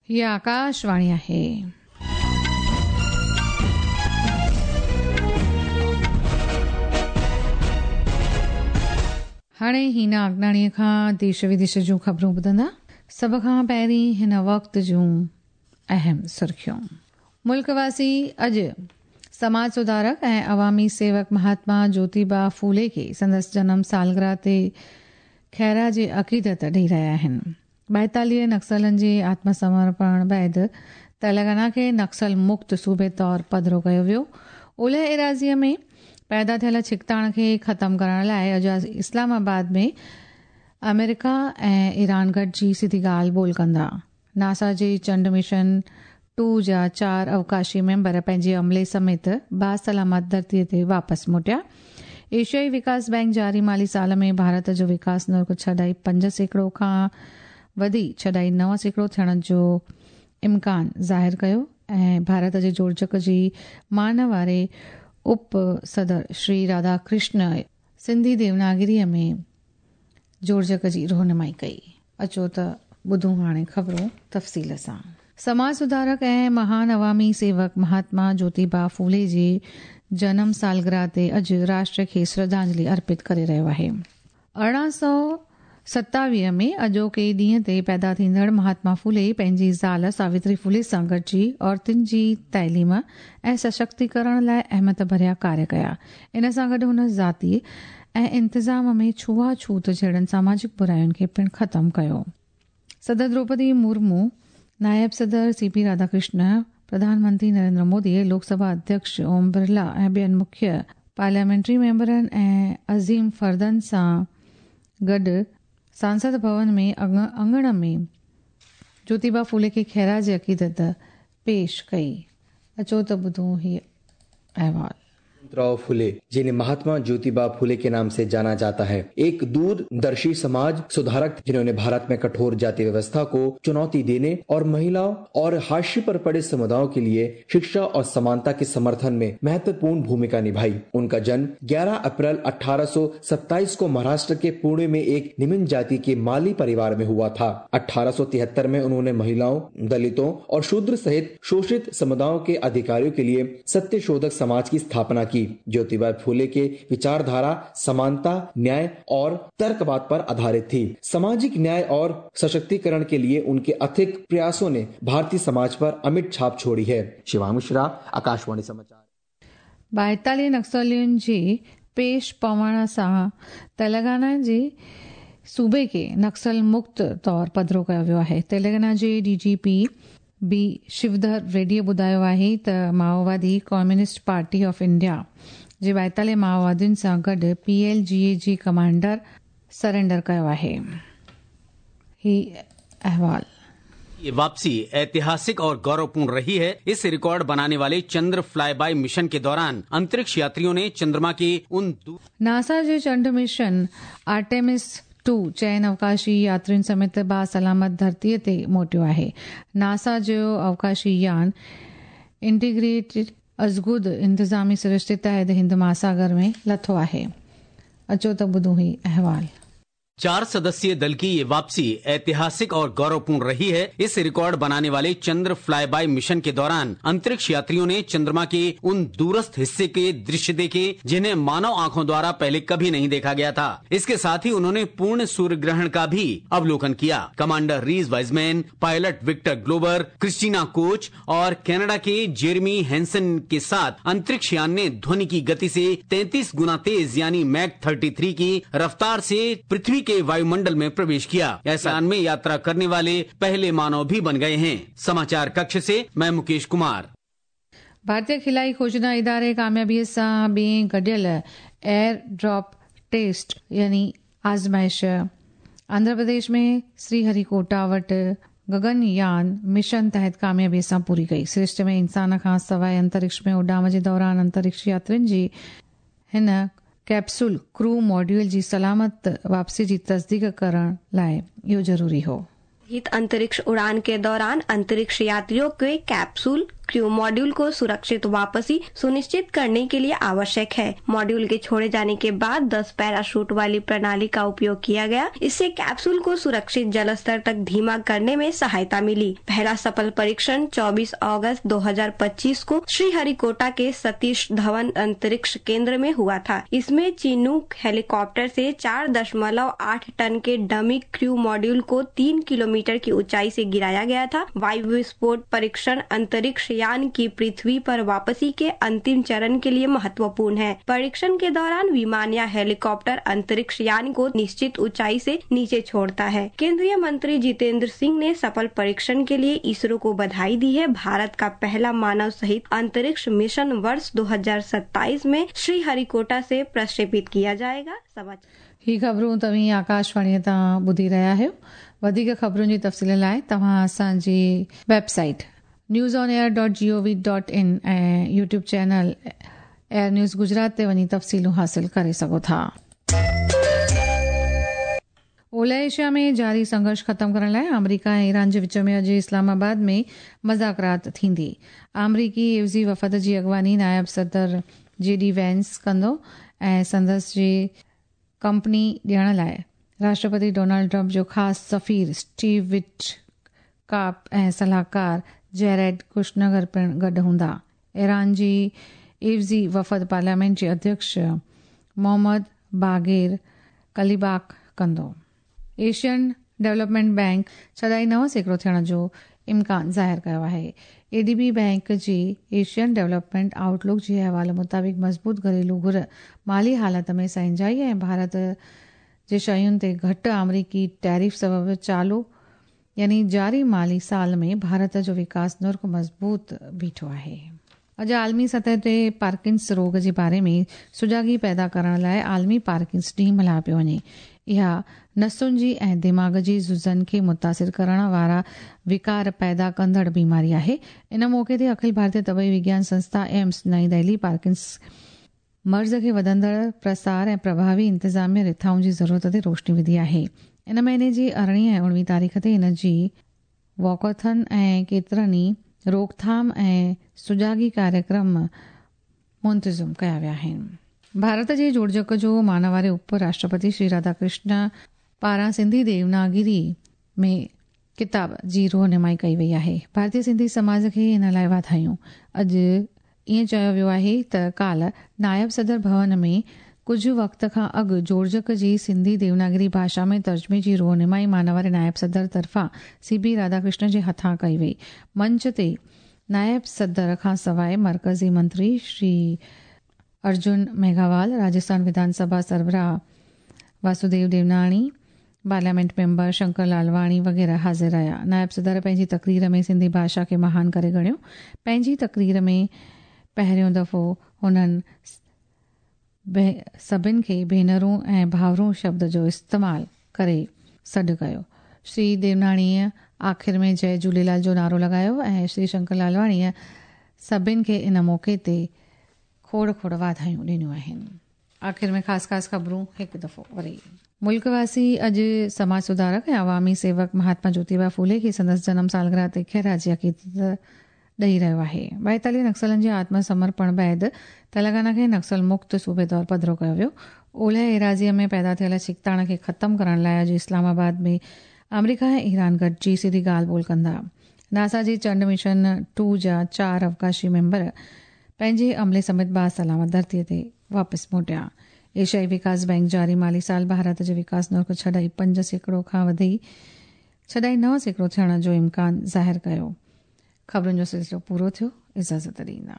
हीअ आकाशवाणी आहे. हाणे हीना अगनाणीअ खां देश विदेश जूं ख़बरूं ॿुधंदा. सभ खां पहिरीं हिन वक़्त जूं अहम सुर्खियूं. मुल्क वासी अॼु समाज सुधारक ऐं अवामी सेवक महात्मा ज्योतिबा फूले खे संदसि जनम सालगिरह ते ख़ैराज अक़ीदत ॾेई रहिया आहिनि. 42 नक्सलनि जे आत्मसमर्पण बाद तेलंगाना खे नक्सल मुक्त सूबे तौर पधरो कयो वियो. ओलह एराज़ीअ में पैदा थियल छिकताण खे ख़तमु करण लाइ अॼु इस्लामाबाद में अमेरिका ऐं ईरान गॾिजी सिधी ॻाल्हि ॿोल कंदा. नासा जे चंड मिशन 2 जा 4 अवकाशी मेंबर पंहिंजे अमले समेत बासलामत धरतीअ ते वापसि मोटिया. एशियाई विकास बैंक जारी माली साल में भारत जो विकास नुर्ख 6.5% खां वधी 6.9% थियण जो इम्कान ज़ाहिर कयो ऐं भारत जे जोड़जक जी मान वारे उप सदर श्री राधाकृष्ण सिंधी देवनागिरीअ में जोड़जक जी रहनुमाई कई. अचो त ॿुधूं हाणे ख़बरूं तफ़सील सां. समाज सुधारक ऐं महान अवामी सेवक महात्मा ज्योतिबा फूले जे जनम सालगिरह ते अॼु राष्ट्र खे श्रद्धांजलि अर्पित करे रहियो आहे. 1827 में अॼोके ॾींहं ते पैदा थींदड़ महात्मा फूले पंहिंजी ज़ाल सावित्री फूले सां गॾिजी औरतुनि जी ताइलीम ऐं सशक्तीकरण लाइ अहमियत भरिया कार्य कया. इन सां गॾु हुन ज़ाती ऐं इंतिज़ाम में छुआछूत जहिड़नि सामाजिक बुरायुनि खे पिणु ख़तमु कयो. सदर द्रौपदी मुर्मू, नायब सदर सीपी राधाकृष्ण, प्रधानमंत्री नरेंद्र मोदी, लोकसभा अध्यक्ष ओम बिरला ऐं ॿियनि मुख्य पार्लियामेंट्री मेंबरनि ऐं अज़ीम फ़र्दनि सां गॾु सांसद भवन में अंगण में ज्योतिबा फूले खे ख़ैराज अक़ीदत पेश कई. अचो त ॿुधूं हीअ अहवाल. राव फुले, जिन्हें महात्मा ज्योतिबा फुले के नाम से जाना जाता है, एक दूरदर्शी समाज सुधारक जिन्होंने भारत में कठोर जाति व्यवस्था को चुनौती देने और महिलाओं और हाशिए पर पड़े समुदायों के लिए शिक्षा और समानता के समर्थन में महत्वपूर्ण भूमिका निभाई। उनका जन्म 11 अप्रैल 1827 को महाराष्ट्र के पुणे में एक निम्न जाति के माली परिवार में हुआ था। 1873 में उन्होंने महिलाओं, दलितों और शूद्र सहित शोषित समुदायों के अधिकारियों के लिए सत्यशोधक समाज की स्थापना की। ज्योतिबा फूले के विचारधारा समानता, न्याय और तर्कवाद पर आधारित थी। सामाजिक न्याय और सशक्तिकरण के लिए उनके अथक प्रयासों ने भारतीय समाज पर अमिट छाप छोड़ी है। शिवा मिश्रा, आकाशवाणी समाचार. 42 नक्सलियुनि जे पेश पवण सां तेलंगाना जे सूबे खे नक्सल मुक्त तौर पधरो कयो वियो आहे. तेलंगाना जे डीजीपी बी शिवधर रेड्डीअ ॿुधायो आहे त माओवादी कम्युनिस्ट पार्टी ऑफ इंडिया जे 42 माओवादियुनि सां गॾु पीएलजीए जे कमांडर सरेंडर कयो आहे. ही अहवाल. ये वापसी ऐतिहासिक और गौरवपूर्ण रही है। इस रिकॉर्ड बनाने वाले चंद्र फ्लाईबाय मिशन के दौरान अंतरिक्ष यात्रियों ने चंद्रमा के उन नासा जे चंड मिशन आर्टेमिस 2 चइनि अवकाशी यात्रियुनि समेत बासलामत धरतीअ ते मोटियो आहे. नासा जो अवकाशी यान इंटीग्रेटेड अज़गुद इंतिज़ामी सरिश्ते तहत हिंद महासागर में लथो आहे. अचो त ॿुधूं ही अहवाल. 4 सदस्यीय दल की ये वापसी ऐतिहासिक और गौरवपूर्ण रही है। इस रिकॉर्ड बनाने वाले चंद्र फ्लाईबाय मिशन के दौरान अंतरिक्ष यात्रियों ने चंद्रमा के उन दूरस्थ हिस्से के दृश्य देखे जिन्हें मानव आंखों द्वारा पहले कभी नहीं देखा गया था। इसके साथ ही उन्होंने पूर्ण सूर्य ग्रहण का भी अवलोकन किया। Commander Reid Wiseman, pilot Victor Glover, Christina Koch और कनाडा के जेरेमी हैंसन के साथ अंतरिक्ष यान ने ध्वनि की गति से 33 गुना तेज यानी मैक 33 की रफ्तार से पृथ्वी के वायुमंडल में प्रवेश किया। ऐसा यान में यात्रा करने वाले पहले मानव भी बन गए हैं। समाचार कक्ष से मैं मुकेश कुमार। भारतीय खिलाई खोजना इदारे कामयाबीअ सां ॿिए गॾियल एयर ड्रॉप टेस्ट यानी आज़माइश आंध्र प्रदेश में श्रीहरिकोटा वटि गगनयान मिशन तहत कामयाबीअ सां पूरी कई. सृष्टि में इंसान खां सवाइ अंतरिक्ष में उॾाम जे दौरान अंतरिक्ष यात्रियुनि जी हिन कैप्सूल क्रू मॉड्यूल जी सलामत वापसी जी तस्दीक करण लाइ इहो ज़रूरी हो. हित अंतरिक्ष उड़ान के दौरान अंतरिक्ष यात्रियों के कैप्सूल क्रू मॉड्यूल को सुरक्षित वापसी सुनिश्चित करने के लिए आवश्यक है। मॉड्यूल के छोड़े जाने के बाद 10 पैराशूट वाली प्रणाली का उपयोग किया गया। इससे कैप्सूल को सुरक्षित जल स्तर तक धीमा करने में सहायता मिली। पहला सफल परीक्षण 24 अगस्त 2025 को श्रीहरिकोटा के सतीश धवन अंतरिक्ष केंद्र में हुआ था। इसमें चिनूक हेलीकॉप्टर से 4.8 टन के डमी क्रू मॉड्यूल को 3 किलोमीटर की ऊंचाई से गिराया गया था। वायु विस्फोट परीक्षण अंतरिक्ष यान की पृथ्वी पर वापसी के अंतिम चरण के लिए महत्वपूर्ण है। परीक्षण के दौरान विमान या हेलीकॉप्टर अंतरिक्ष यान को निश्चित ऊंचाई से नीचे छोड़ता है। केंद्रीय मंत्री जितेंद्र सिंह ने सफल परीक्षण के लिए इसरो को बधाई दी है। भारत का पहला मानव सहित अंतरिक्ष मिशन वर्ष 2027 में श्रीहरिकोटा से प्रक्षेपित किया जाएगा। समाचार ही ख़बरूं तव्हीं आकाशवाणीअ तां ॿुधी रहिया आहियो। वधीक ख़बरुनि जी तफ़सील लाइ तव्हां असांजी website newsonair.gov.in ऐं YouTube channel AIR news Gujarat ते वञी तफ़सीलूं हासिल करे सघो था। ओलह एशिया में जारी संघर्ष ख़त्म करण लाइ आमेरिका ऐं ईरान जे विच में अॼु इस्लामाबाद में मज़ाकरात थींदी। आमेरिकी एवज़ी वफ़द जी अॻवानी नायब सदर जे डी वेंस कंदो ऐं संदसि जी कंपनी ॾियण लाइ राष्ट्रपति डोनाल्ड ट्रंप जो ख़ासि सफ़ीर स्टीव विटकॉफ ऐं सलाहकार जेरेड कुशनगर पिणु गॾु हूंदा। ईरान जी एवज़ी वफ़द पार्लियामेंट जे अध्यक्ष मोहम्मद बाग़ेर कलीबाक कंदो। एशियन डेवलपमेंट बैंक 6.9% थियण जो इम्कान ज़ाहिर कयो आहे। एडीबी बैंक जी एशियन डेवलपमेंट आउटलुक जे हवाले मुताबिक़ मज़बूत घरेलू घुर, माली हालत में सहंजाई ऐं भारत जे शयुनि ते घटि आमेरिकी टैरिफ सबबु चालू यानी जारी माली साल में भारत जो विकास नुर्ख़ मज़बूत बीठो आहे। अॼु आलमी सतह ते पार्किंस रोग जे बारे में सुजागी पैदा करण लाइ आलमी पार्किंस ॾींहुं मल्हायो पियो वञे। इहा नसुनि जी ऐं दिमाग़ जी जुज़नि खे मुतासिर करण वारा विकार पैदा कंदड़ बीमारी आहे। इन मौक़े ते अखिल भारतीय तबई विज्ञान संस्था एम्स नई दिल्ली पार्किंस मर्ज़ खे वधंदड़ प्रसार ऐं प्रभावी इंतिज़ामिया रिथाउनि जी ज़रूरत ते रोशनी विधी आहे। इन महीने जी 18 ऐं 19 तारीख़ ते इन जी वॉकाथन ऐं केतिरनि ई रोकथाम ऐं सुजागी कार्यक्रम मुंतज़िम कया विया आहिनि। भारत जे जोड़जक जो मानवारे उप राष्ट्रपति श्री राधाकृष्ण पारां सिंधी देवनागिरी में किताब जी रोहनुमाई कई वई आहे। भारतीय सिंधी समाज खे इन लाइ वाधायूं। अॼु ईअं चयो वियो आहे त काल्ह नायब सदर भवन में कुझु वक़्त खां अॻु जोड़जक जी सिंधी देवनागरी भाषा में तर्जुमे जी रोहनुमाई मानवारे नायब सदर तरफ़ां सी.बी. राधाकृष्ण जे हथां कई वई। मंच ते नायब सदर खां सवाइ मर्कज़ी मंत्री श्री अर्जुन मेघावाल, राजस्थान विधानसभा सरबराह वासुदेव देवनाणी, पार्लियामेंट मेंबर शंकर लालवाणी वग़ैरह हाज़िर रहिया। नायब सदर पंहिंजी तकरीर में सिंधी भाषा खे महान करे ॻणियो। पंहिंजी तकरीर में पहिरियों दफ़ो हुननि सभिनि खे भेनरूं ऐं भाउरूं शब्द जो इस्तेमालु करे सॾु कयो। श्री देवनाणीअ आख़िर में जय झूलेलाल जो नारो लॻायो ऐं श्री शंकर लालवाणीअ सभिनि खे इन मौक़े ते खोड़ खोड़ वाधायूं ॾिनियूं आहिनि। आख़िर में ख़ासि ख़ासि ख़बरूं हिकु दफ़ो वरी। मुल्कवासी अॼु समाज सुधारक ऐं अवामी सेवक महात्मा ज्योतिबा फूले खे संदसि जनम सालगिरह ते ख़िराज अक़ीदत ॾेई रहियो आहे। 42 नक्सलनि जे आत्मसमर्पण बाद तेलंगाना खे नक्सल मुक्त सूबे तौरु पधिरो कयो वियो। ओलह एराज़ीअ में पैदा थियल छिकताण खे ख़त्म करण लाइ अॼु इस्लामाबाद में आमेरिका ऐं ईरान गॾिजी सिधी ॻाल्हि ॿोल कंदा। नासा जी चंड मिशन 2 जा 4 अवकाशी मेंबर पंहिंजे अमले समेत बासलामत धरतीअ ते वापसि मोटिया। एशियाई विकास बैंक जारी माली साल भारत जे विकास नुर्ख़ 6.5% खां वधी 6.9% थियण जो इम्कान ज़ाहिर कयो। ख़बरुनि जो सिलसिलो पूरो थियो। इजाज़त ॾींदा।